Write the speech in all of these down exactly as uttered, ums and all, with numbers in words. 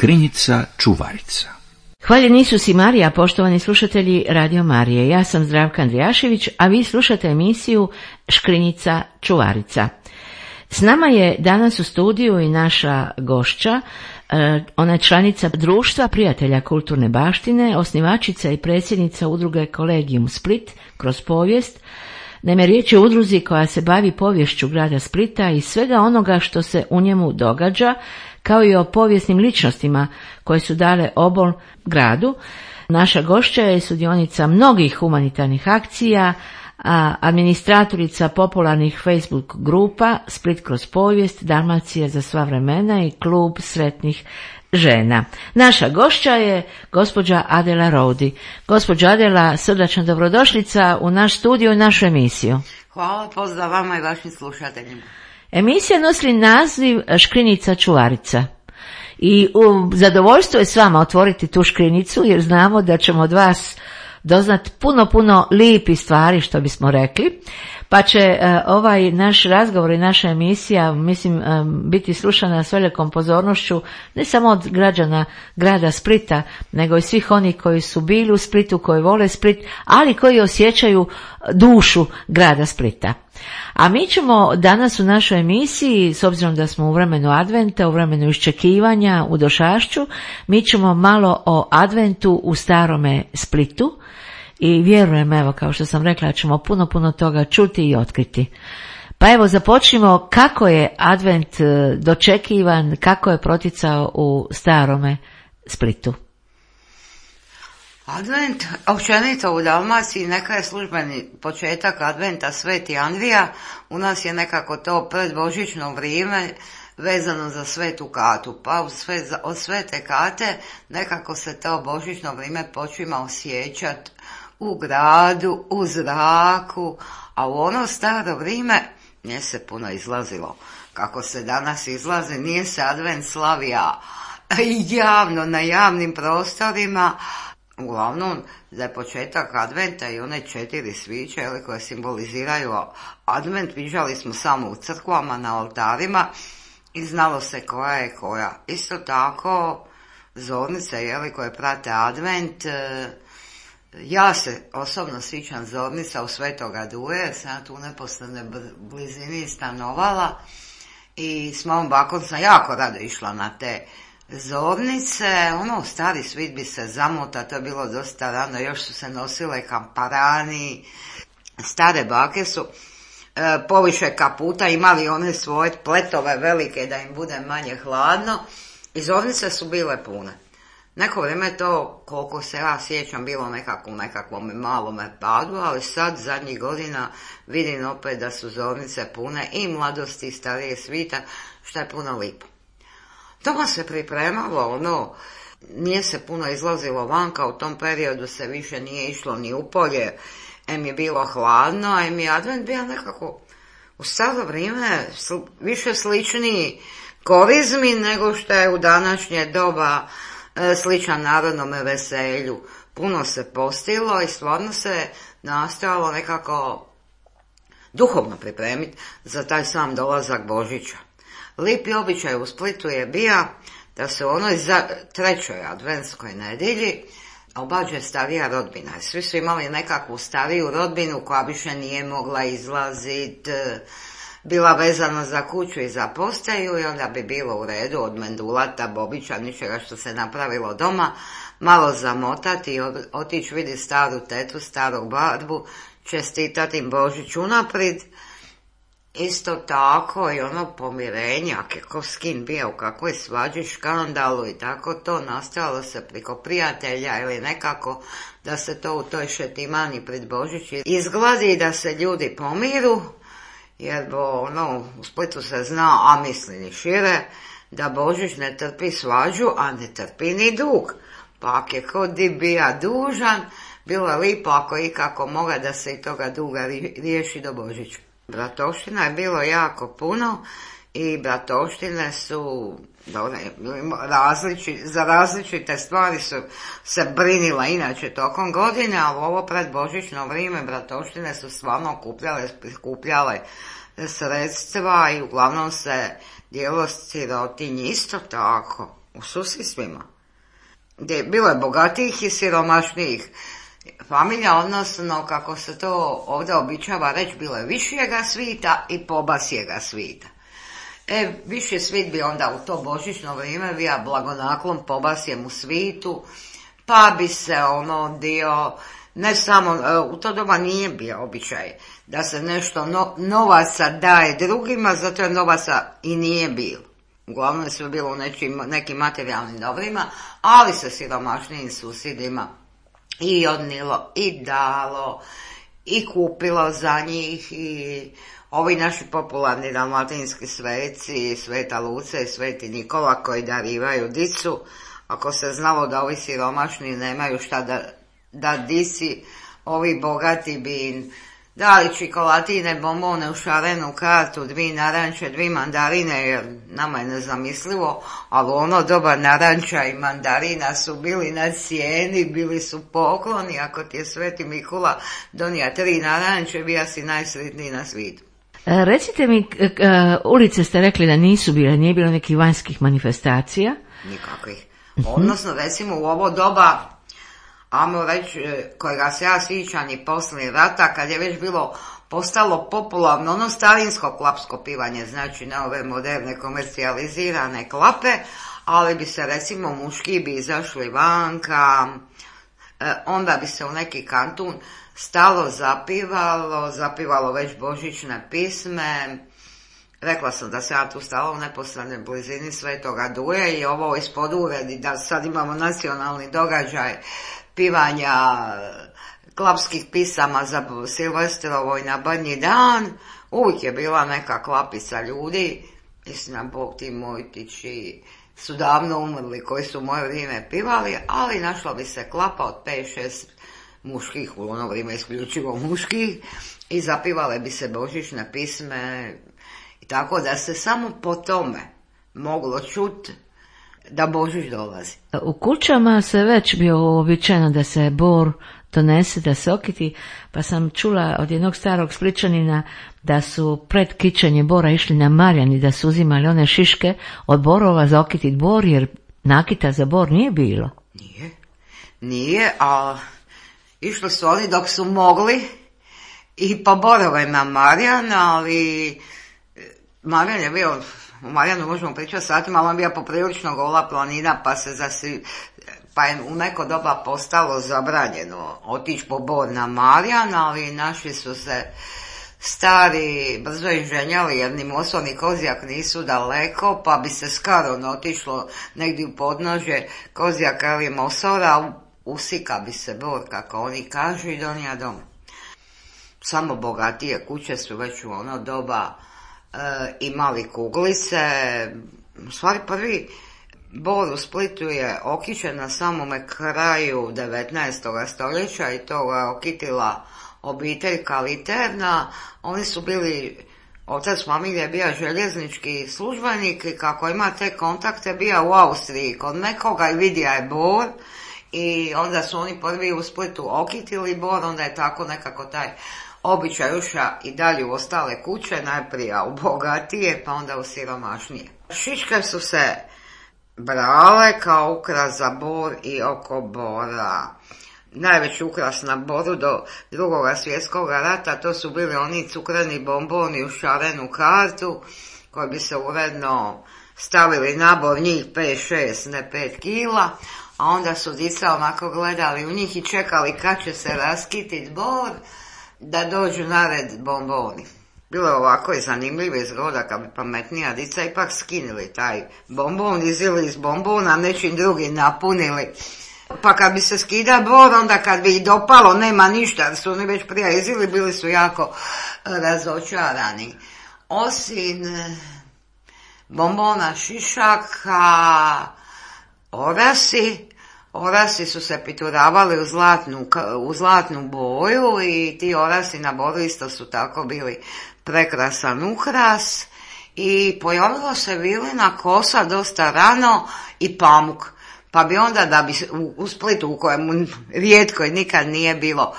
Škrinjica čuvarica. Hvaljeni Isus i Marija, poštovani slušatelji Radio Marije. Ja sam Zdravka Andrijašević, a vi slušate emisiju Škrinjica čuvarica. S nama je danas u studiju i naša gošća, ona je članica Društva prijatelja kulturne baštine, osnivačica i predsjednica udruge Kolegium Split kroz povijest. Naime, riječ je o udruzi koja se bavi poviješću grada Splita i svega onoga što se u njemu događa, kao i o povijesnim ličnostima koje su dale obol gradu. Naša gošća je sudionica mnogih humanitarnih akcija, a administratorica popularnih Facebook grupa Split kroz povijest, Dalmacija za sva vremena i klub sretnih žena. Naša gošća je gospođa Adela Rodi. Gospođa Adela, srdačna dobrodošlica u naš studio i našu emisiju. Hvala, pozdrav vama i vašim slušateljima. Emisija nosi naziv Škrinjica čuvarica. I u zadovoljstvo je s vama otvoriti tu škrinjicu, jer znamo da ćemo od vas doznat puno, puno lijepi stvari, što bismo rekli. Pa će uh, ovaj naš razgovor i naša emisija, mislim, um, biti slušana s velikom pozornošću, ne samo od građana grada Splita, nego i svih onih koji su bili u Splitu, koji vole Split, ali koji osjećaju dušu grada Splita. A mi ćemo danas u našoj emisiji, s obzirom da smo u vremenu adventa, u vremenu iščekivanja, u došašću, mi ćemo malo o adventu u starome Splitu i vjerujem, evo, kao što sam rekla, ćemo puno, puno toga čuti i otkriti. Pa evo, započnimo kako je advent dočekivan, kako je proticao u starome Splitu. Advent, općenito u Dalmaciji, neka je službeni početak adventa Sveti Andrija, u nas je nekako to predbožićno vrijeme vezano za Svetu Katu, pa od, sve, od Svete Kate nekako se to božićno vrijeme počima osjećati u gradu, u zraku, a u ono staro vrijeme nije se puno izlazilo. Kako se danas izlazi, nije se advent slavija javno na javnim prostorima. Uglavnom, za početak adventa i one četiri sviće koje simboliziraju advent viđali smo samo u crkvama, na oltarima i znalo se koja je koja. Isto tako, zornice jeli, koje prate advent, ja se osobno sjećam zornica u Svetoga Duje, jer sam tu u neposrednoj blizini stanovala i s mojom bakom sam jako rado išla na te zornice. Ono, stari svit bi se zamota, to je bilo dosta rano, još su se nosile kamparani, stare bake su e, poviše kaputa imali one svoje pletove velike da im bude manje hladno i zornice su bile pune. Neko vrijeme to, koliko se ja sjećam, bilo nekako u nekakvom malome padu, ali sad zadnjih godina vidim opet da su zornice pune i mladosti i starije svita, što je puno lipo. Doma se pripremalo, ono, nije se puno izlazilo vanka, u tom periodu se više nije išlo ni u polje, em je bilo hladno, em je advent bio nekako u staro vrijeme sl- više sličniji korizmi nego što je u današnje doba e, sličan narodnome veselju. Puno se postilo i stvarno se nastojalo nekako duhovno pripremiti za taj sam dolazak Božića. Lipi običaj u Splitu je bio da se u onoj za trećoj adventskoj nedjelji obađe starija rodbina. Svi su imali nekakvu stariju rodbinu koja više nije mogla izlaziti, bila vezana za kuću i za postaju i onda bi bilo u redu od mendulata, bobića, ničega što se napravilo doma, malo zamotati i otići vidjeti staru tetu, starog barbu, čestitati im Božić unaprijed. Isto tako i ono pomirenje, kako skin bio, u kakvoj svađi, škandalu i tako to nastojalo se preko prijatelja ili nekako da se to u toj šetimani pred Božić izgladi i da se ljudi pomiru, jer bo ono, u Splitu se zna, a misli ni šire, da Božić ne trpi svađu, a ne trpi ni dug. Pa ako je kod di bija dužan, bilo je lipo ako ikako moga da se i toga duga riješi do Božića. Bratovština je bilo jako puno i bratovštine su različi, za različite stvari su se brinila inače tokom godine, ali ovo pred božićno vrijeme bratovštine su stvarno okupljale, prikupljale sredstva i uglavnom se dijelo sirotinji isto tako. u susjedstvima. Gdje bilo je bogatijih i siromašnijih familija, odnosno, kako se to ovdje običava reći, bilo je višijega svita i pobasijega svita. E, viši svit bi onda u to božićno vrijeme bio blagonaklon pobasijemu svitu, pa bi se ono dio, ne samo, u to doba nije bio običaj da se nešto no, novaca daje drugima, zato je novaca i nije bilo. Uglavnom je sve bilo u nečim, nekim materijalnim dobrima, ali se siromašnijim susjedima i odnilo, i dalo, i kupilo za njih, i ovi naši popularni dalmatinski sveci, Sveta Luce i Sveti Nikola koji darivaju dicu, ako se znalo da ovi siromašni nemaju šta da, da dici, ovi bogati bi im dali čikolatine, bombone u šarenu kartu, dvi naranče, dvi mandarine, jer nama je nezamislivo, ali ono doba naranča i mandarina su bili na cijeni, bili su pokloni, ako ti je Sveti Mikula donija tri naranče, bija si najsretniji na svijetu. Recite mi, ulice ste rekli da nisu bile, nije bilo nekih vanjskih manifestacija? Nikakvih. Odnosno, recimo u ovo doba, ajmo reći, kojega se ja sjećam i poslije rata, kad je već bilo postalo popularno ono starinsko klapsko pivanje, znači ne ove moderne komercijalizirane klape, ali bi se recimo muški bi izašli vanka, onda bi se u neki kantun stalo zapivalo, zapivalo već božićne pisme. Rekla sam da se ja tu stala u neposrednoj blizini Svetoga Duje i ovo ispod uredi, da sad imamo nacionalni događaj pivanja klapskih pisama za Silvestrovo i na Badnji dan. Uvijek je bila neka klapica ljudi, istina Bog ti Mojtići su davno umrli koji su u moje vrijeme pivali, ali našla bi se klapa od pet šest muških, u ono vrijeme isključivo muških, i zapivale bi se božićne pisme, i tako da se samo po tome moglo čuti da Božić dolazi. U kućama se već bio uobičajeno da se bor donese, da se okiti, pa sam čula od jednog starog Splićanina da su pred kićenje bora išli na Marjan i da su uzimali one šiške od borova za okitit bor, jer nakita za bor nije bilo. Nije, nije, a išli su oni dok su mogli i po borove na Marjan, ali Marjan je bio, u Marjanu možemo pričati satima, ali on bio poprilično gola planina, pa se zasi, pa je u neko doba postalo zabranjeno otići po bor na Marjan, ali naši su se stari brzo inženjali, jer ni Moso ni Kozjak nisu daleko, pa bi se skoro otišlo negdje u podnožje Kozjaka ili Mosora, usika bi se bor, kako oni kažu, i donija doma. Samo bogatije kuće su već u ono doba e, imali kuglice. U stvari prvi bor u Splitu je okićen na samome kraju devetnaestog stoljeća i to ga okitila obitelj Kaliterna. Oni su bili, otac familije bio željeznički službenik i kako ima te kontakte bio u Austriji kod nekoga i vidija je bor i onda su oni prvi u Splitu okitili bor, onda je tako nekako taj običaj uša i dalje u ostale kuće, najprije u bogatije pa onda u siromašnije. Šiške su se brale kao ukras za bor i oko bora. Najveći ukras na boru do drugog svjetskog rata to su bili oni cukreni bomboni u šarenu kartu koji bi se uredno stavili na bor, njih pet šest, ne pet kila, a onda su dica onako gledali u njih i čekali kad će se raskititi bor da dođu na red bomboni. Bilo je ovako i zanimljivo izgleda kad bi pametnija dica ipak skinili taj bombon, izili iz bombona, nečim drugim napunili. Pa kad bi se skida bor, onda kad bi ih dopalo, nema ništa, jer su oni već prije izili, bili su jako razočarani. Osim bombona šišaka, orasi, orasi su se pituravali u zlatnu, u zlatnu boju i ti orasi na boru isto su tako bili prekrasan ukras i pojavilo se vilina kosa dosta rano i pamuk. Pa bi onda da bi u, u Splitu u kojemu rijetko i nikad nije bilo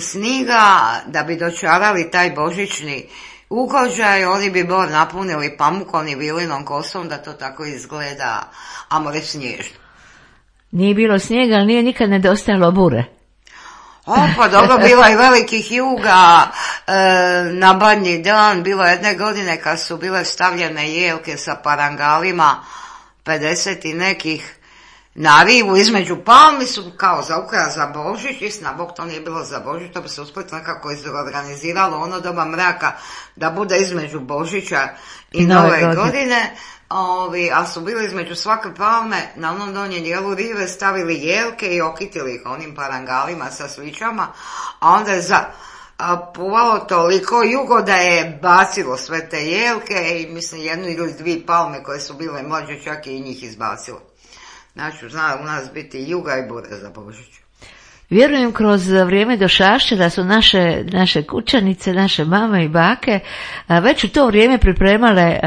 sniga, da bi dočarali taj božićni ugođaj, oni bi bor napunili pamukom i vilinom kosom da to tako izgleda, amo reći snježno. Nije bilo snijega, ali nije nikad nedostajalo bure. O, pa dobro, bilo je velikih juga e, na Badnji dan, bilo jedne godine kad su bile stavljene jelke sa parangalima, pedeset i nekih, na rivu između palmi su kao za ukras za Božić, istina Bog to nije bilo za Božić, to bi se usput nekako izorganiziralo ono doba mraka da bude između Božića i Nove, Nove godine, godine. Ovi, a su bili između svake palme na onom donjem dijelu rive stavili jelke i okitili ih onim parangalima sa svićama, a onda je za, a, puvalo toliko jugo da je bacilo sve te jelke i mislim jednu ili dvije palme koje su bile mlađe čak i njih izbacilo. Znači, zna u nas biti juga i bure za Božić. Vjerujem kroz vrijeme došašća da su naše, naše kućanice, naše mame i bake već u to vrijeme pripremale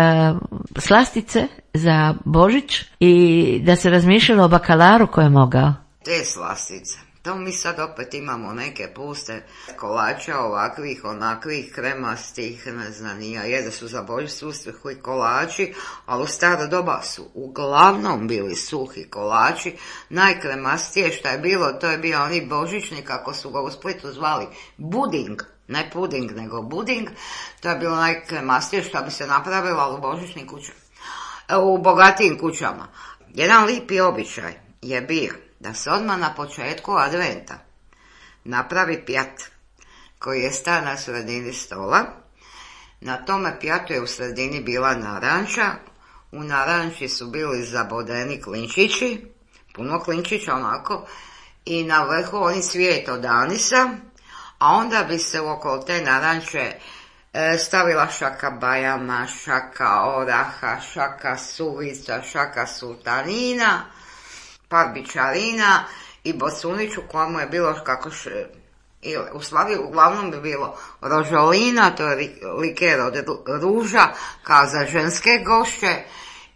slastice za Božić i da se razmišljalo o bakalaru koji je mogao. Te slastice. To mi sad opet imamo neke puste kolača ovakvih, onakvih, kremastih, ne znam, nija, jede su za Božić suhi kolači, ali u staro doba su uglavnom bili suhi kolači. Najkremastije što je bilo, to je bio oni božićni, kako su ga u Splitu zvali, buding, ne puding, nego buding. To je bilo najkremastije što bi se napravilo u božićnim kućama, u bogatijim kućama. Jedan lipi običaj je bio da se odmah na početku adventa napravi pjat koji je sta na sredini stola. Na tome pjatu je u sredini bila naranča, u naranči su bili zabodeni klinčići, puno klinčića onako, i na vrhu oni cvijet od anisa, a onda bi se okolo te naranče e, stavila šaka bajama, šaka oraha, šaka suvica, šaka sultanina, par bičarina i bocuniću kojemu je bilo kako š... u stvari uglavnom bi bilo rožolina, to je liker od ruža kao za ženske gošće,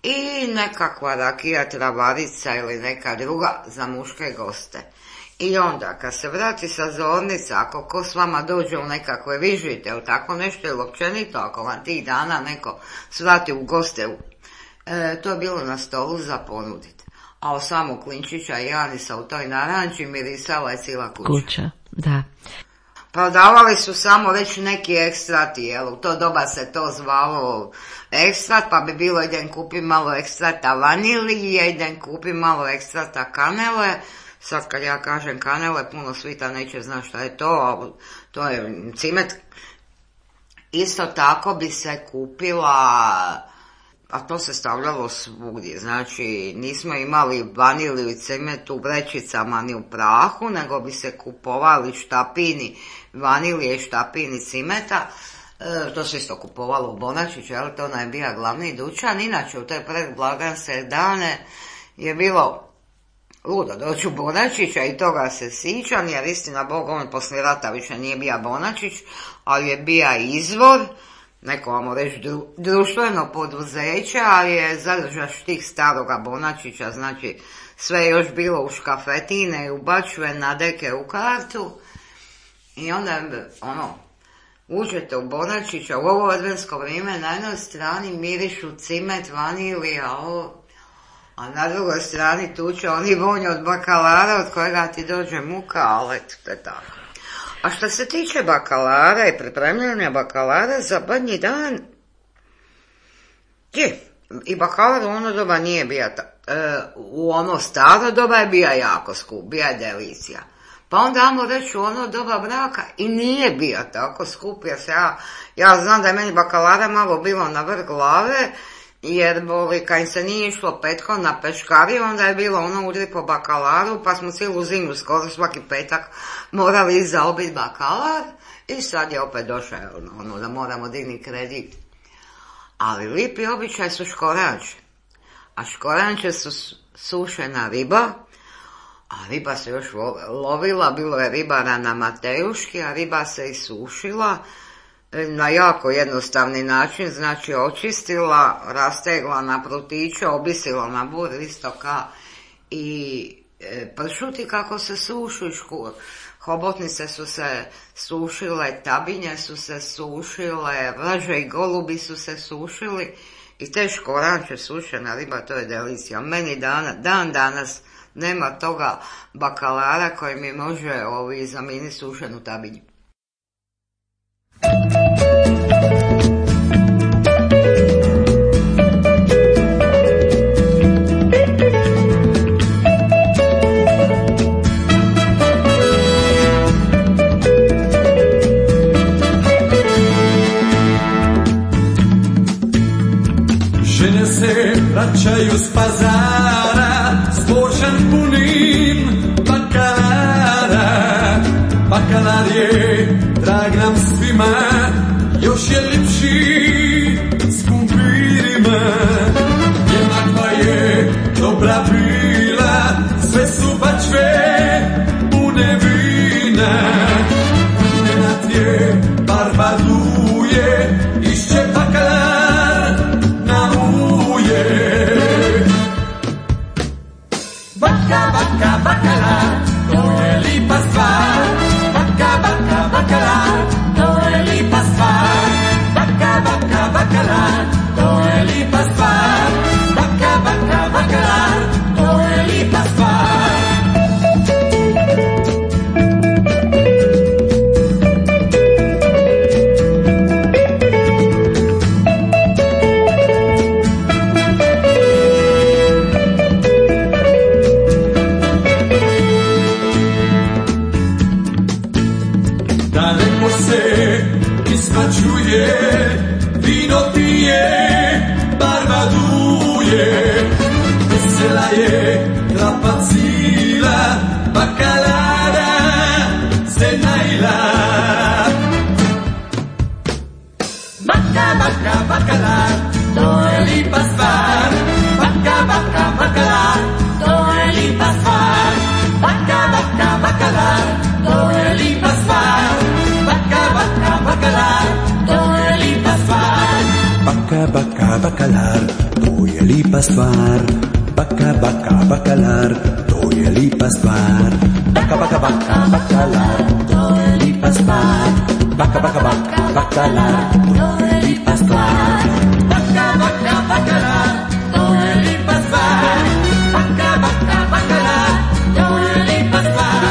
i nekakva rakija, travarica ili neka druga za muške goste. I onda kad se vrati sa zornica, ako ko s vama dođe u nekakve vižite ili tako nešto, ili općenito ako vam tih dana neko svrati u goste, e, to je bilo na stolu za ponuditi. A o samog klinčića i anisa u toj naranči mirisala je cijela kuća. Kuća, da. Prodavali su samo već neki ekstrati, jel, u to doba se to zvalo ekstrat, pa bi bilo idem kupi malo ekstrata vanilije, idem kupi malo ekstrata kanele. Sad kad ja kažem kanele, puno svita neće znati šta je to, a to je cimet. Isto tako bi se kupila, a to se stavljalo svugdje, znači nismo imali vaniliju i cimet u vrećicama ni u prahu, nego bi se kupovali štapini vanilije i štapini cimeta, e, to se isto kupovalo u Bonačiću, ali to je bio glavni dućan. Inače u te predblagdanske dane je bilo ludo doći u Bonačića i toga se sićam, jer istina Bog, on poslije rata više nije bio Bonačić, ali je bio izvor, neko vamo reći dru, društveno poduzeće, ali je zadržaš tih staroga Bonačića, znači sve je još bilo u škafetine i u bačve na deke u kartu. I onda ono, uđete u Bonačića u ovo adventsko vrijeme, na jednoj strani mirišu cimet, vanilija, ovo, a na drugoj strani tuče oni vonj od bakalara od kojega ti dođe muka, ali to je tako. A što se tiče bakalara i pripremljanja bakalara za Badnji dan, je, i bakalar u ono doba nije bio, e, u ono staro doba je bio jako skup, bio je delicija. Pa onda ajmo reći u ono doba braka i nije bio tako skup, jer se ja, ja znam da je meni bakalara malo bilo na vrh glave, jer boli, kad im se nije išlo petkom na peškariju, onda je bilo ono udri po bakalaru, pa smo cijelu zimu skoro svaki petak morali zaobiti bakalar i sad je opet došao ono da moramo digni kredit. Ali lipi običaj su škoranče, a škoranče su sušena riba, a riba se još lovila, bilo je ribara na Matejuški, a riba se i sušila na jako jednostavni način, znači očistila, rastegla na prutiće, obisila na bur isto ka i pršuti kako se sušu, hobotnice su se sušile, tabinje su se sušile, vraže i golubi su se sušili i te škoranče, sušena riba, to je delicija. Meni dan, dan danas nema toga bakalara koji mi može ovi zamijeniti sušenu tabinju. Žene se vraćaju s pazara s božan punim bakalara. Bakalar je drag nam svima, još je lipši s kumpirima. Jednakva je dobra bila, sve su bačve pune vina. Nenad je barba duje, išće bakalar na uje. Baka, baka, bakalar, to je lipa stvar. Baka, baka, bakalar, to je lipa stvar. Baka, baka, bakalar, to je lipa stvar. Baka, baka, bakalar, to je lipa stvar. Daleko se ismačuje, vino pije, barba duje. Vesela je klapa cila, bakalara se najla. Baka, baka, bakalar, to je lipa stvar. Baka, baka, bakalar, to je lipa stvar. Baka, baka, bakalar, to je lipa stvar. Baka, baka, bakalar, to je lipa stvar. Baka, baka, bakalar, to je lipa stvar. Baka, baka, bakalar, to je lipa stvar. Baka, baka, baka, bakalar, to je lipa stvar. Baka, baka, baka, bakalar, to je lipa stvar. Baka, baka, bakalar, to je lipa stvar. Baka, baka, bakalar, to je lipa stvar.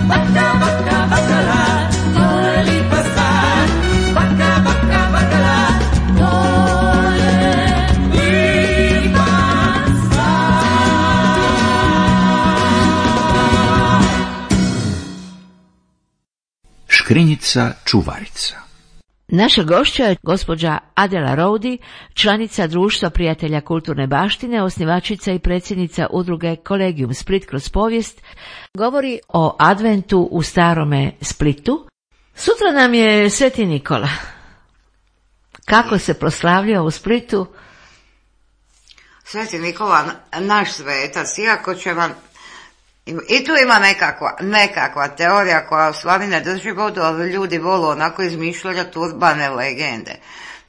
Baka, baka, bakalar, to je lipa stvar. Baka, baka, bakalar, to je lipa stvar. Škrinjica čuvarica. Naša gošća je gospođa Adela Rowdy, članica Društva prijatelja kulturne baštine, osnivačica i predsjednica udruge Kolegium Split kroz povijest. Govori o adventu u starome Splitu. Sutra nam je Sveti Nikola. Kako se proslavlja u Splitu? Sveti Nikola, naš svetac, iako će vam... I tu ima nekakva, nekakva teorija koja u stvari ne drži vodu, ali ljudi volu onako izmišljati urbane legende.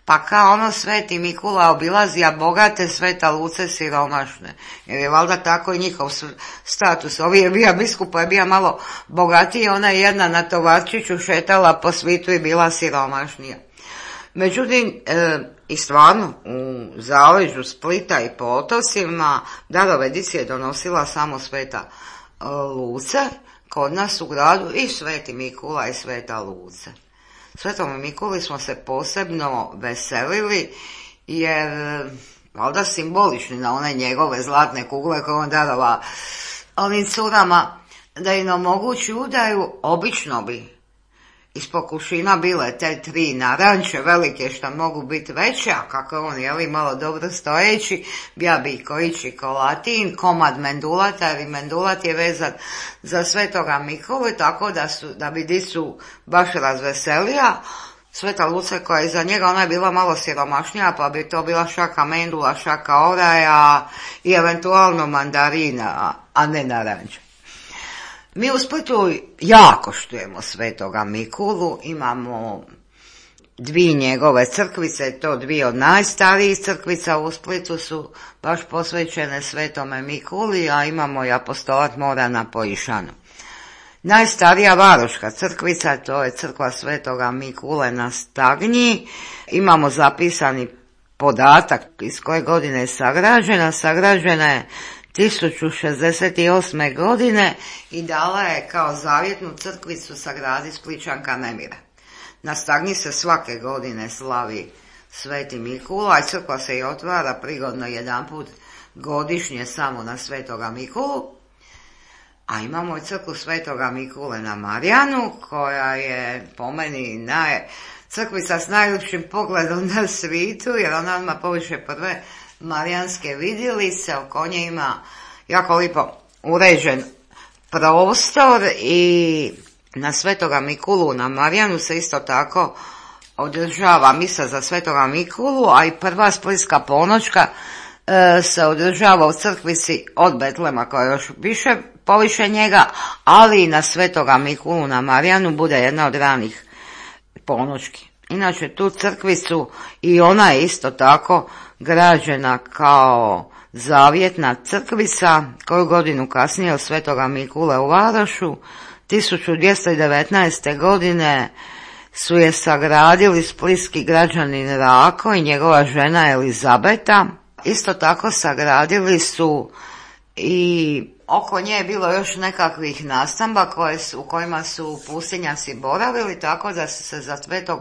Pa kao ono Sveti Nikola obilazi, a bogate, Sveta Luce siromašne. Jer je valjda tako i njihov status. Ovi je bio biskupa, je bio malo bogatiji, ona je jedna na tovarčiću šetala po svitu i bila siromašnija. Međutim, e, i stvarno, u zaleđu Splita i po otocima darovedici je donosila samo Sveta Luce, kod nas u gradu i Sveti Nikola i Sveta Luce. Svetom Nikoli smo se posebno veselili jer valjda simbolični na one njegove zlatne kugle koje on darova ovim curama da im omogući udaju, obično bi iz pokušina bile te tri naranče velike što mogu biti veće, a kako on je malo dobro stojeći, bija bi kojići kolatin, komad mendulata, jer i mendulat je vezan za Svetoga Nikolu, tako da, su, da bi dicu baš razveselija. Sveta Luce koja je za njega, ona je bila malo siromašnija, pa bi to bila šaka mendula, šaka oraja i eventualno mandarina, a ne naranče. Mi u Splitu jako štujemo Svetoga Nikolu, imamo dvije njegove crkvice, to dvije od najstarijih crkvica u Splitu su baš posvećene Svetome Mikuli, a imamo i apostolat mora na Pojišanu. Najstarija varoška crkvica, to je crkva Svetoga Mikule na Stagnji. Imamo zapisani podatak iz koje godine je sagrađena. Sagrađena je tisuću šezdeset osme godine i dala je kao zavjetnu crkvicu sagradi Splićanka Nemira. Na Stagnji se svake godine slavi Sveti Mikula i crkva se i otvara prigodno jedanput godišnje samo na Svetoga Mikulu. A imamo i crkvu Svetoga Mikule na Marijanu, koja je po meni naj... crkvica s najljepšim pogledom na svijetu, jer ona ima poviše prve marijanske vidjelice, oko nje ima jako lipo uređen prostor i na Svetoga Mikulu na Marijanu se isto tako održava misa za Svetoga Mikulu, a i prva splitska ponoćka e, se održava u crkvici od Betlema koja je još više poviše njega, ali i na Svetoga Mikulu na Marijanu bude jedna od ranih ponoćki. Inače tu crkvicu i ona je isto tako građena kao zavjetna crkvica, koju godinu kasnije od Svetoga Mikule u Varašu. tisuću dvjesto devetnaeste. godine su je sagradili splitski građanin Rako i njegova žena Elizabeta. Isto tako sagradili su i oko nje je bilo još nekakvih nastamba koje su, u kojima su pustinjaci boravili, tako da su se za Svetog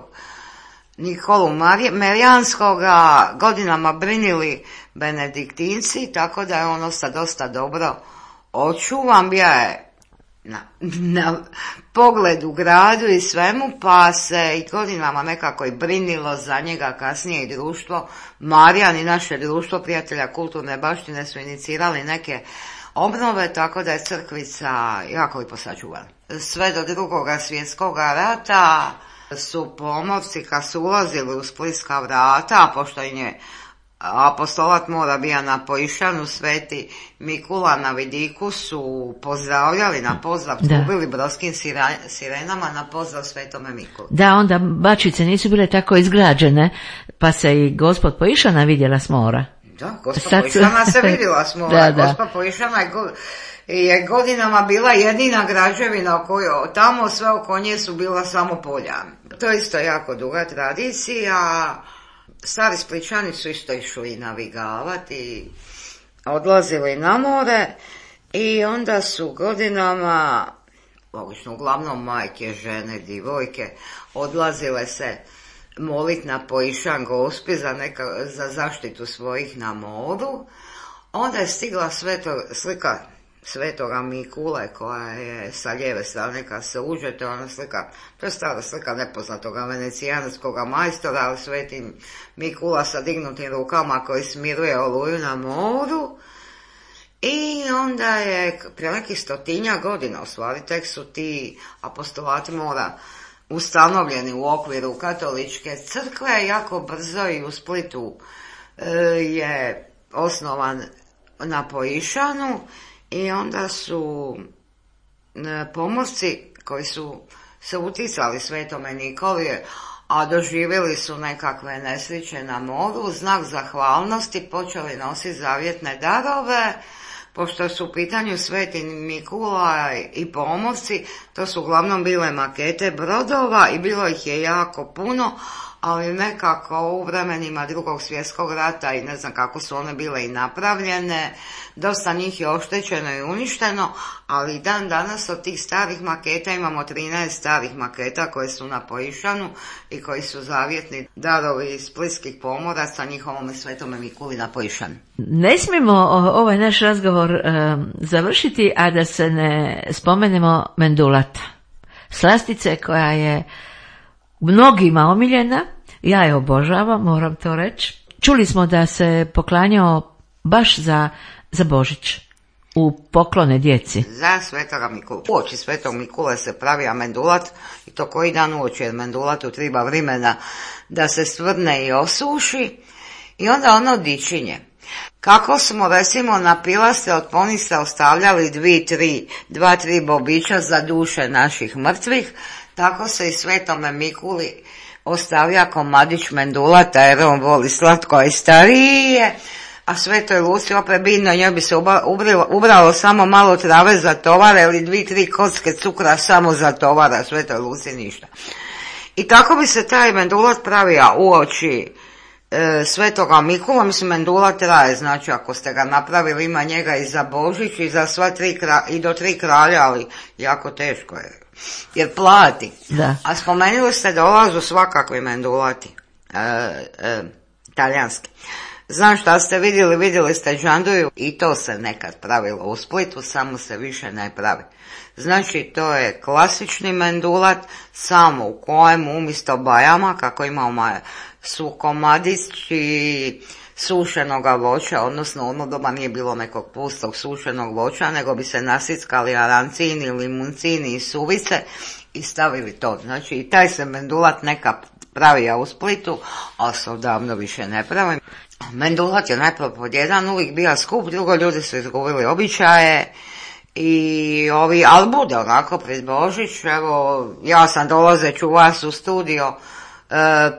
Nikolu Merijanskoga godinama brinili benediktinci, tako da je on ostao dosta dobro očuvan. Bio je na, na pogled u gradu i svemu, pa se i godinama nekako i brinilo za njega. Kasnije i društvo Marijan i naše društvo prijatelja kulturne baštine su inicirali neke obnove, tako da je crkvica jako lipo sačuvana. Sve do drugoga svjetskoga rata su pomorci kad su ulazili u splitska vrata, a pošto im je apostolat mora bija na Pojišanu, Sveti Mikula na vidiku su pozdravljali na pozdrav, trubili brodskim sirenama na pozdrav Svetome Mikuli. Da, onda bačice nisu bile tako izgrađene, pa se i Gospod Pojišana vidjela s mora. Da, Gospa Pojišana se vidjela s mora. Da, Gospa Pojišana je, go, je godinama bila jedina građevina, koju, tamo sve oko nje su bila samo polja. To je isto jako duga tradicija. Stari Splićani su isto išli navigavati, odlazili na more i onda su godinama, logično uglavnom majke, žene, divojke, odlazile se molit na Pojišan Gospi za, neka, za zaštitu svojih na moru. Onda je stigla sveto, slika Svetoga Mikule koja je sa lijeve strane kad se uđe, to je ona slika, to je stara slika nepoznatoga venecijanskog majstora, ali Sveti Mikula sa dignutim rukama koji smiruje oluju na moru. I onda je prije nekih stotinja godina, u stvari tek su ti apostolati mora ustanovljeni u okviru katoličke crkve. Jako brzo i u Splitu e, je osnovan na Pojišanu i onda su e, pomorci koji su se uticali Svetome Nikoli, a doživjeli su nekakve nesreće na moru, znak zahvalnosti počeli nositi zavjetne darove. Pošto su u pitanju Sveti Mikula i pomorci, to su uglavnom bile makete brodova i bilo ih je jako puno, ali nekako u vremenima Drugog svjetskog rata i ne znam kako su one bile i napravljene, dosta njih je oštećeno i uništeno, ali dan danas od tih starih maketa imamo trinaest starih maketa koje su na Pojišanu i koji su zavjetni darovi splitskih pomoraca njihovome Svetome Mikuli na Pojišanu. Ne smijemo ovaj naš razgovor um, završiti, a da se ne spomenemo mendulata. Slastice koja je mnogima omiljena, ja je obožavam, moram to reći. Čuli smo da se poklanjao baš za, za Božić, u poklone djeci. Za Svetoga Mikulu. Uoči Svetog Mikule se pravi mendulat i to koji dan uoči, jer mendulatu treba vremena da se stvrne i osuši i onda ono dičinje. Kako smo recimo na pilastre od ponista ostavljali dvi, tri, dva, tri bobića za duše naših mrtvih, tako se i Svetome Mikuli ostavlja komadić mendulata jer on voli slatko, a i stariji je, a Svetoj Luci opet bitno, njoj bi se ubralo, ubralo samo malo trave za tovara ili dvi, tri kocke cukra samo za tovara, Svetoj Luci ništa. I tako bi se taj mendulat pravio uoči e, Svetoga Mikula, mislim mendulat traje, znači ako ste ga napravili ima njega i za Božić i za sva tri kralja, i do tri kralja, ali jako teško je, jer plati. Da. A spomenuli ste da dolazu svakakvi mendulati, e, e, talijanski. Znam šta ste vidjeli, vidjeli ste džanduju i to se nekad pravilo u Splitu, samo se više ne pravi. Znači to je klasični mendulat, samo u kojem umjesto bajama, kako imamo su komadići sušenoga voća, odnosno ono doba nije bilo nekog pustog sušenog voća, nego bi se nasickali arancini, limuncini i suvice i stavili to. Znači i taj se mendulat neka pravi u Splitu, a se odavno više ne pravi. Mendulat je najprvo pod jedan uvijek bio skup, drugo ljudi su izgubili običaje i ovi, ali bude onako pred Božić, evo ja sam dolazeći u vas u studio e,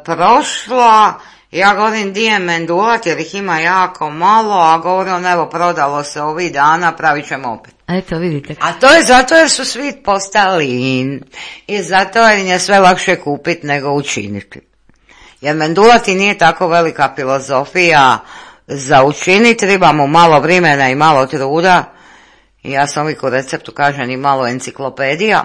prošla, ja govorim di je mendulat jer ih ima jako malo, a govorim evo prodalo se ovih dana, pravit ćemo opet. Eto vidite. A to je zato jer su svi postali in i zato jer je sve lakše kupiti nego učiniti. Jer mendulati nije tako velika filozofija za učiniti, treba mu malo vremena i malo truda. I ja sam uvijek u receptu kažem i malo enciklopedija,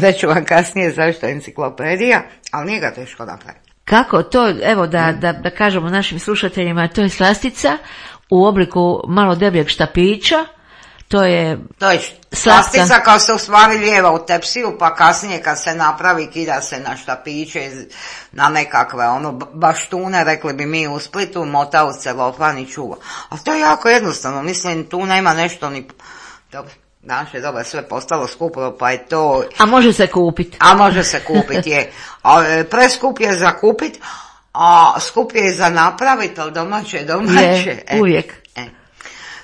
reću vam kasnije zašto enciklopedija, ali nije ga teško napraviti. Kako to, evo da, da, da kažemo našim slušateljima, to je slastica u obliku malo debljeg štapića, to je To je slastica kao se u stvari lijeva u tepsiju, pa kasnije kad se napravi kida se na štapiće, na nekakve ono baštune, rekli bi mi u Splitu, mota u celofan i čuva. A to je jako jednostavno, mislim tu nema nešto ni... Dobro, danas je dobro, sve postalo skupo, pa je to... A može se kupiti. A može se kupiti, je. A, preskup je za kupiti, a skup je za napraviti, ali domaće je domaće. Je, uvijek. E, e.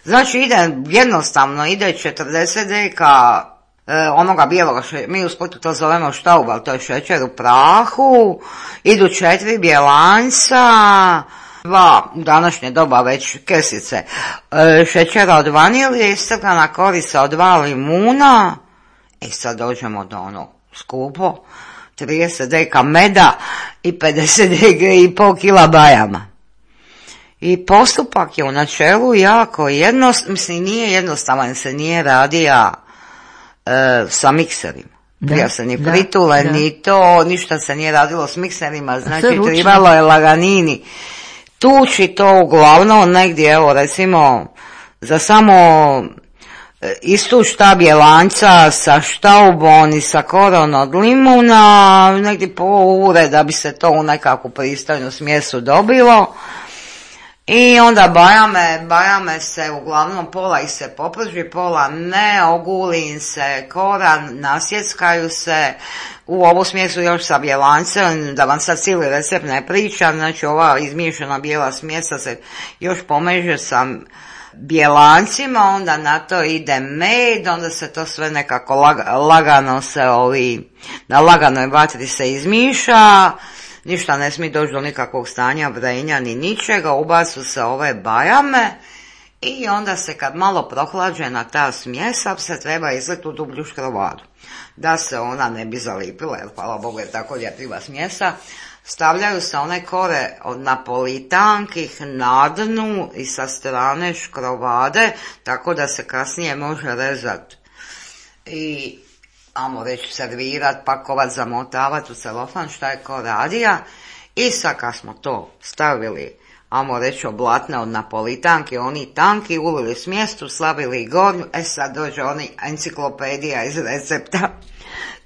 Znači ide jednostavno, ide četrdeset deka e, onoga bijeloga, še, mi u Splitu to zovemo štaub, ali to je šećer u prahu, idu četiri bjelanjca, dva u današnje doba već kesice e, šećera od vanilije, istrgana korica od dva limuna, i sad dođemo do onog skupo, trideset deka meda i pedeset deka i pol kila bajama. I postupak je u načelu jako jednostavan, mislim nije jednostavan, se nije radija e, sa mikserima. Da, ja se ni da, pritule, da. ni to, ništa se nije radilo s mikserima, znači ručno. trebalo je laganini tući to uglavnom negdje, evo recimo za samo istu šta bjelanca sa štaubom i sa koron od limuna, negdje po ure da bi se to u nekakvu pristojnu smjesu dobilo. I onda bajame, bajame se uglavnom pola ih se poprži, pola ne, oguli se koran, nasjeckaju se u ovu smjesu još sa bjelancem, da vam sad cijeli recept ne pričam, znači ova izmiješana bijela smjesa se još pomeže sa bjelancima, onda na to ide med, onda se to sve nekako laga, lagano se ovi, na laganoj vatri se izmiša, ništa ne smije doći do nikakvog stanja vrenja ni ničega, ubacu se ove bajame i onda se kad malo prohlađena ta smjesa se treba izliti u dublju škrovadu. Da se ona ne bi zalipila, jer hvala Bogu je tako ljepljiva smjesa, stavljaju se one kore od napolitankih na dnu i sa strane škrovade, tako da se kasnije može rezati i amo reći servirat, pakovat, zamotavat u celofan, šta je ko radija. I sad kad smo to stavili, amo reći oblatne od napolitanki, oni tanki, ulili smjestu, slavili gornju, e sad dođe oni enciklopedija iz recepta.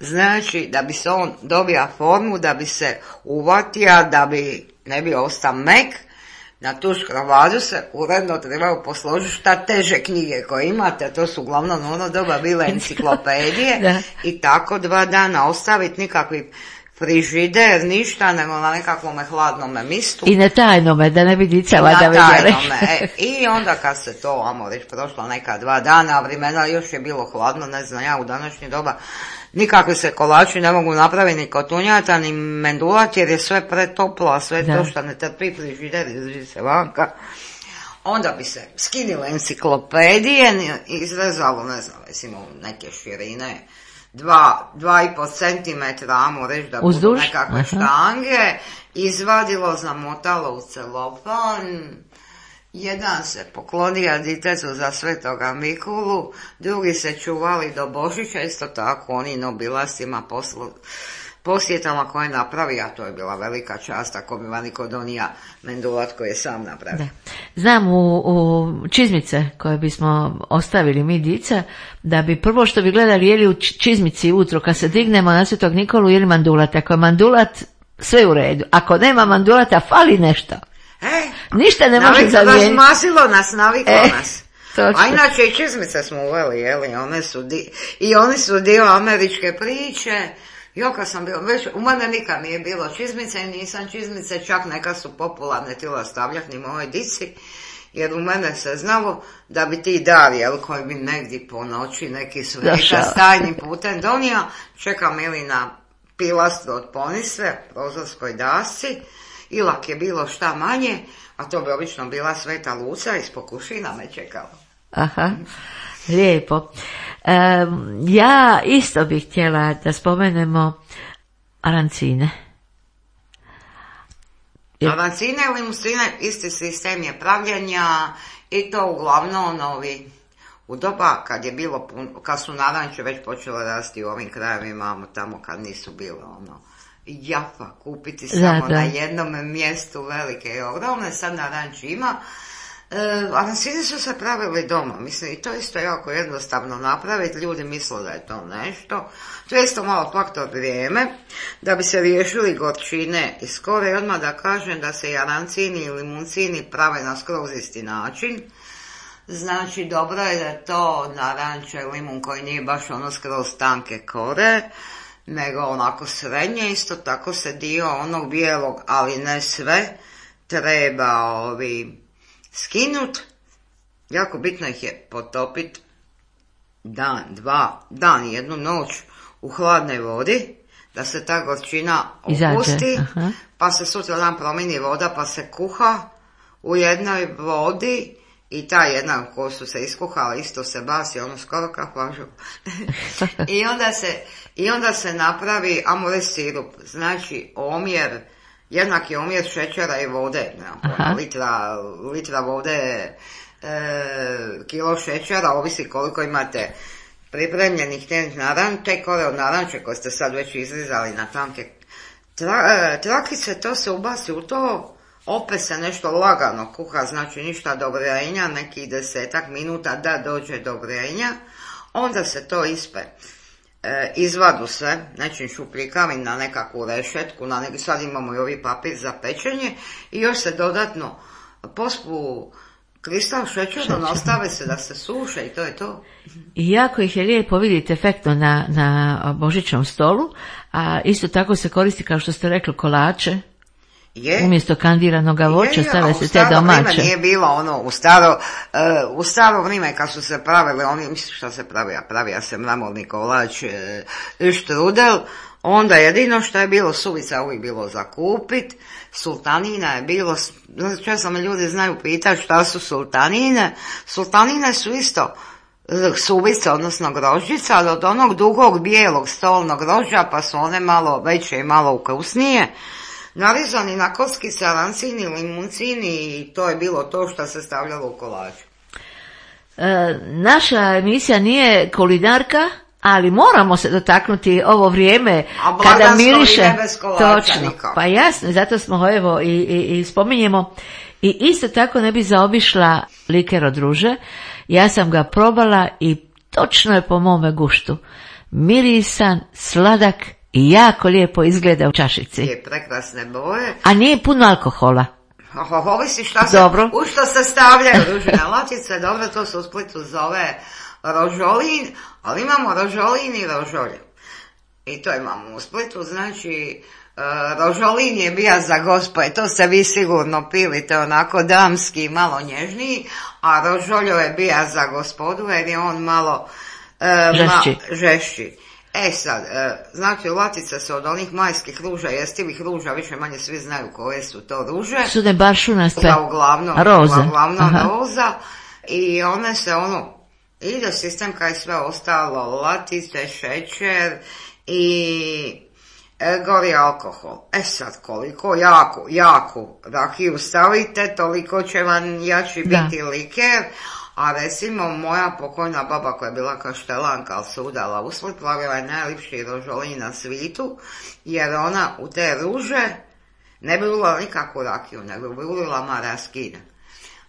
Znači, da bi se on dobija formu, da bi se uvatija, da bi ne bi ostao mek, na tu škrovadu se uredno trebaju posložiti šta teže knjige koje imate, to su uglavnom ono doba bile enciklopedije i tako dva dana ostaviti, nikakvi frižider, ništa, nego na nekakvome hladnome mistu. I na tajnome, da ne bi dica vada vidjeli. E, I onda kad se to, amo reći, prošlo neka dva dana, a vremena još je bilo hladno, ne znam ja, u današnje doba, nikakvi se kolači ne mogu napraviti ni kotunjata, ni mendulat, jer je sve pretoplo, a sve da. To što ne trpi frižider, izlazi se vanka. Onda bi se skinile enciklopedije i izrezalo, ne znam, recimo neke širine, dva, dva i po centimetra, amo reći da Uzduž? budu nekakve Aha. štange, izvadilo, zamotalo u celofan, jedan se poklonio ditetu za Svetoga Mikulu, drugi se čuvali do Božića, isto tako oni nobilastima poslu, posjetama koje napravi, a to je bila velika čast ako bi vaniko donija mendulat koji je sam napravio. Da. Znam u, u čizmice koje bismo ostavili mi dica, da bi prvo što bi gledali jeli u čizmici utro kad se dignemo na Svetog Nikolu jeli mandulat. Ako je mandulat, sve u redu. Ako nema mandulata, fali nešto. E, Ništa ne može navik, zamijeniti. razmasilo nas, naviklo E, nas. točno. A inače i čizmice smo uveli, jeli, one su di, i oni su dio američke priče. Jo, kad sam bila, već, u mene nikad nije bilo čizmice i nisam čizmice, čak neka su popularne tila stavljati ni mojoj dici, jer u mene se znalo da bi ti dar, jel, koji bi negdje po noći neki sveka s tajnim putem donio, čekam ili na pilastru od ponisve, prozorskoj dasci, ilak je bilo šta manje, a to bi obično bila Sveta Luca iz Pokušina me čekala. Aha, lijepo. E, ja isto bih htjela da spomenemo arancine. Jer... Arancine ili musline, isti sistem je pravljenja i to uglavnom ovi, u doba kad je bilo pun, kad su naranče već počele rasti u ovim krajevima, tamo kad nisu bile ono, jafa kupiti samo da, da. na jednom mjestu velike i ogromne, sad naranči ima. E, arancine su se pravili doma, mislim, i to isto jako jednostavno napraviti, ljudi misle da je to nešto, to je isto malo faktor vrijeme, da bi se riješili gorčine i skoro i odmah da kažem da se i arancini i limuncini prave na skroz isti način. Znači, dobro je da je to naranče limun koji nije baš ono skroz tanke kore, nego onako srednje, isto tako se dio onog bijelog, ali ne sve, treba ovi skinut, jako bitno ih je potopit dan, dva, dan, jednu noć u hladnoj vodi, da se ta gorčina opusti, pa se sutra dan promijeni voda, pa se kuha u jednoj vodi i ta jedna ko su se iskuhala isto se basi, ono skoro kako važu. I onda se, i onda se napravi amore sirup, znači omjer, jednaki omjer šećera i vode, ne, litra, litra vode, e, kilo šećera, ovisi koliko imate pripremljenih tenih naranče, te kore od naranče koje ste sad već izrizali na tanke tra, e, trakice, to se ubaci u to, opet se nešto lagano kuha, znači ništa do vrenja, neki desetak minuta da dođe do vrenja, onda se to ispe. E, izvadu se nečim šupljikavim na nekakvu rešetku, na neki, sad imamo i ovi papir za pečenje i još se dodatno pospu kristal šećerom, ostave se da se suše i to je to. I jako ih je lijepo vidjeti efektno na, na božićnom stolu, a isto tako se koristi kao što ste rekli kolače. Je. Umjesto kandiranog voća je, stave se te domaće. U staro domaće. vrijeme nije bilo ono, u staro, uh, u staro vrijeme kad su se pravili, oni, mislim šta se pravija, pravija se mramorni kolač, uh, štrudel, onda jedino što je bilo suvica uvijek bilo za kupit, sultanina je bilo, često me ljudi znaju pitati šta su sultanine, sultanine su isto suvice, odnosno grožđica, ali od onog dugog bijelog stolnog grožđa, pa su one malo veće i malo ukusnije, narizani na kockice, arancini, limuncini i to je bilo to što se stavljalo u kolaču. E, naša emisija nije kulinarka, ali moramo se dotaknuti ovo vrijeme kada miriše. Točno, pa jasno, zato smo evo i, i, i spominjemo. I isto tako ne bi zaobišla liker od ruže. Ja sam ga probala i točno je po mome guštu. Mirisan, sladak i jako lijepo izgleda u čašici. Je prekrasne boje. A nije puno alkohola. Oh, ovisi šta se, dobro. U što se stavljaju ružine latice, dobro, to se u Splitu zove rožolin, ali imamo rožolin i rožolje. I to imamo u Splitu, znači rožolin je bija za gospoje, to ste vi sigurno pili, to je onako damski, malo nježniji, a rožoljo je bija za gospodu jer je on malo e, žešći. Ma, žešći. E sad, e, znači latice su od onih majskih ruža, jestivih ruža, više manje svi znaju koje su to ruže. Su ne baršunaste? Da, uglavnom, roze. Uglavnom roza. I one se ono, ide sistem kao i sve ostalo, latice, šećer i e, gori alkohol. E sad, koliko jaku, jaku rakiju stavite, toliko će vam jači biti da. Liker. A recimo moja pokojna baba koja je bila kaštelanka, ali se udala u Split, plavila je najljepši rožolin na svitu, jer ona u te ruže ne bi ulila nikakvu rakiju, nego bi ulila maraskina.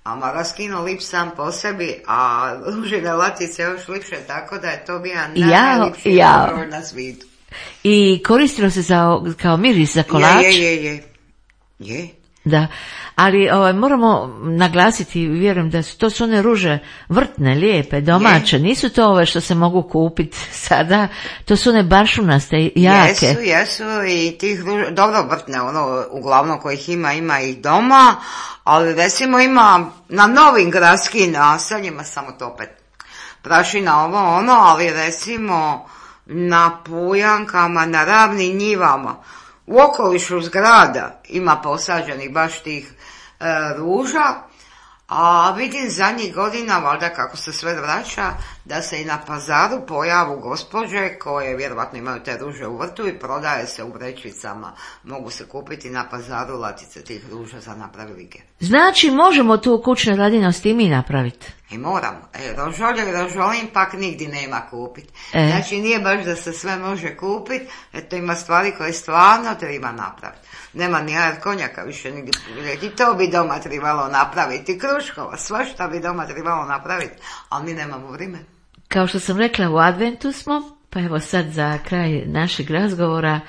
A maraskino lip sam po sebi, a ružine latice još lipše, tako da je to bija najljepši rožolin na svitu. I koristilo se za, kao miris za kolač? Je, je, je. Je. Da, ali ovaj, moramo naglasiti, vjerujem da su to su one ruže vrtne, lijepe, domaće, je. Nisu to ove što se mogu kupiti sada, to su one baršunaste, jake. Jesu, jesu i tih ruža, dobro vrtne, ono, uglavnom kojih ima, ima ih doma, ali recimo ima na novim gradskim naseljima, samo to opet prašina ovo ono, ali recimo na Pujankama, na ravnim njivama, u okolišu zgrada ima posađenih baš tih e, ruža, a vidim zadnjih godina, valjda kako se sve vraća, da se i na pazaru pojavu gospođe koje vjerovatno imaju te ruže u vrtu i prodaje se u vrećicama. Mogu se kupiti na pazaru latice tih ruža za napraviti liker. Znači možemo tu kućne radinosti i mi napraviti? I moramo. E, rožolje i rožolin pak nigdje nema kupiti. E. Znači nije baš da se sve može kupiti, eto ima stvari koje stvarno treba napraviti. Nema ni jaja konjaka više nigdje. I to bi doma trebalo napraviti. Kruškova, svašta bi doma trebalo napraviti, ali mi nemamo vrijeme. Kao što sam rekla, u adventu smo, pa evo sad za kraj našeg razgovora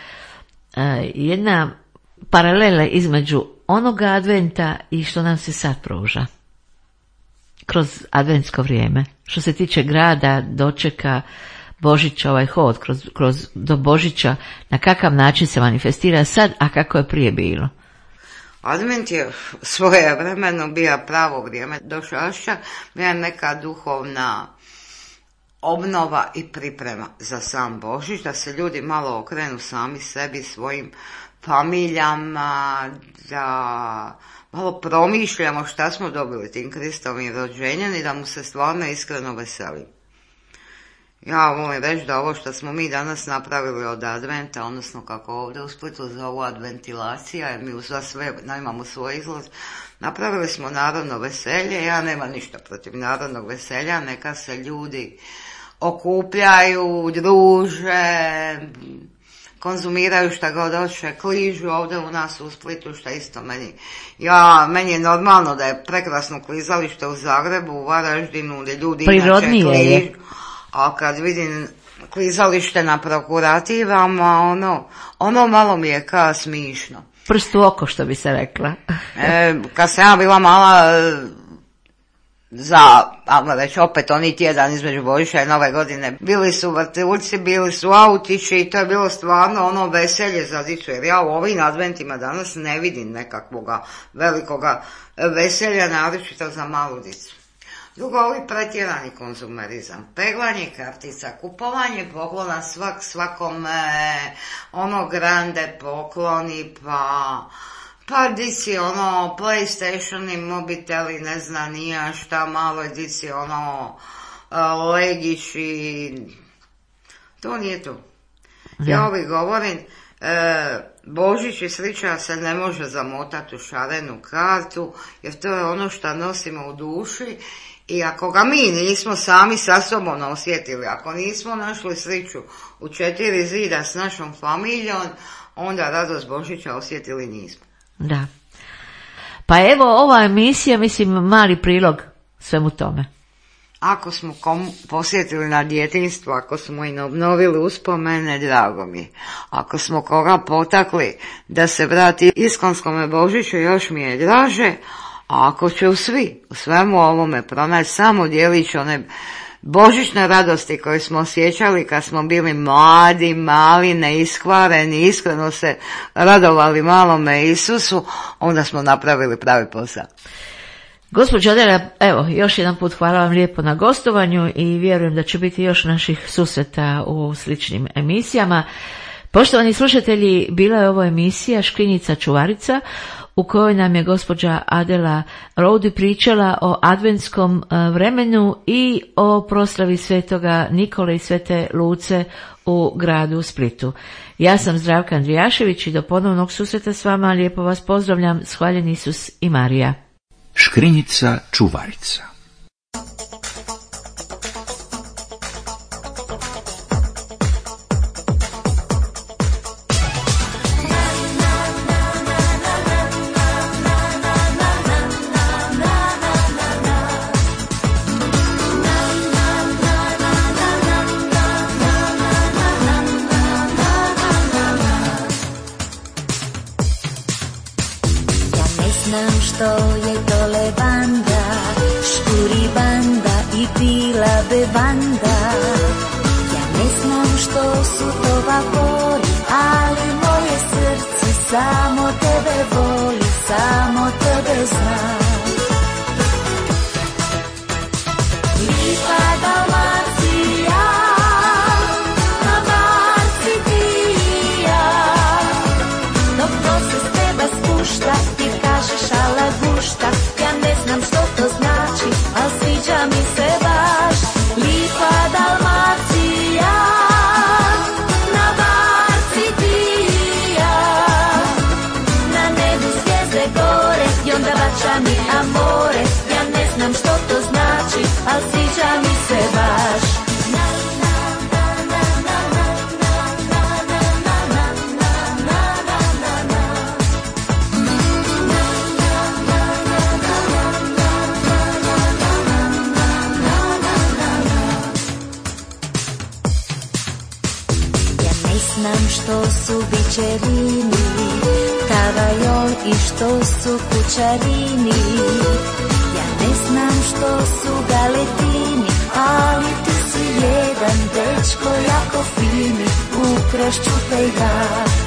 jedna paralela između onoga adventa i što nam se sad pruža kroz adventsko vrijeme. Što se tiče grada, dočeka Božića, ovaj hod kroz, kroz do Božića, na kakav način se manifestira sad, a kako je prije bilo? Advent je svojevremeno bio pravo vrijeme došašća, bila neka duhovna obnova i priprema za sam Božić, da se ljudi malo okrenu sami sebi, svojim familijama, da malo promišljamo šta smo dobili tim Kristovim rođenjem i da mu se stvarno iskreno veselimo. Ja volim reći da ovo što smo mi danas napravili od adventa, odnosno kako ovdje u Splitu zovu adventilacija, jer mi uz sve imamo svoj izlaz, napravili smo narodno veselje. Ja nemam ništa protiv narodnog veselja, neka se ljudi okupljaju, druže, konzumiraju šta god hoće, kližu ovdje u nas u Splitu, šta isto meni. Ja, meni je normalno da je prekrasno klizalište u Zagrebu, u Varaždinu, gdje ljudi prirodnije inače kližu. Je. A kad vidim klizalište na prokurativama, ono, ono malo mi je kao smišno. Prst u oko, što bi se rekla. e, kad sam ja bila mala, za, ajmo reći, opet oni tjedan između Božića i Nove godine, bili su vrtiljci, bili su autići i to je bilo stvarno ono veselje za dicu, jer ja u ovim adventima danas ne vidim nekakvoga velikoga veselja, naročito za malu dicu. Drugo, ovi pretjerani konzumerizam, peglanje kartica, kupovanje poklona svak svakome, ono grande pokloni, pa, pa dici ono PlayStationi, mobiteli, ne znam nija šta, malo dici ono legići, to nije to. Ja ovi govorim, e, Božić i sliča se ne može zamotati u šarenu kartu, jer to je ono što nosimo u duši. I ako ga mi nismo sami sa sobom osjetili, ako nismo našli sreću u četiri zida s našom familijom, onda radost Božića osjetili nismo. Da. Pa evo, ova emisija, mislim, mali prilog svemu tome. Ako smo kom posjetili na djetinjstvo, ako smo im obnovili uspomene, drago mi je. Ako smo koga potakli da se vrati iskonskome Božiću, još mi je draže. A ako će u svi, u svemu ovome pronaći samo djelić one božićne radosti koje smo osjećali kad smo bili mladi, mali, neiskvareni, iskreno se radovali malome Isusu, onda smo napravili pravi posao. Gospođo Adela, evo, još jedan put hvala vam lijepo na gostovanju i vjerujem da će biti još naših susreta u sličnim emisijama. Poštovani slušatelji, bila je ovo emisija Škrinjica čuvarica u kojoj nam je gospođa Adela Rowdy pričala o adventskom vremenu i o proslavi svetoga Nikole i svete Luce u gradu Splitu. Ja sam Zdravka Andrijašević i do ponovnog susreta s vama lijepo vas pozdravljam. Hvaljen Isus i Marija. Škrinjica čuvarica. Što je to levanda, škuri banda i pila bevanda. Ja ne znam što su to vapori, ali moje srce samo tebe voli, samo tebe zna. Lipa Dalmacija, na Marci ti i ja, dok to se s teba spušta, ti kažeš ala gušta, ja ne znam što to znači, al sviđa mi se baš. Lipa Dalmacija, na Marci ti i ja, na nebu zvijezde gore i onda bača mi amore, ja ne znam što to znači, al sviđa mi se baš. Znam što su bičerini, tavajol i što su kućarini. Ja ne znam što su galetini, ali ti si jedan dečko jako fini, ukrašću pejga.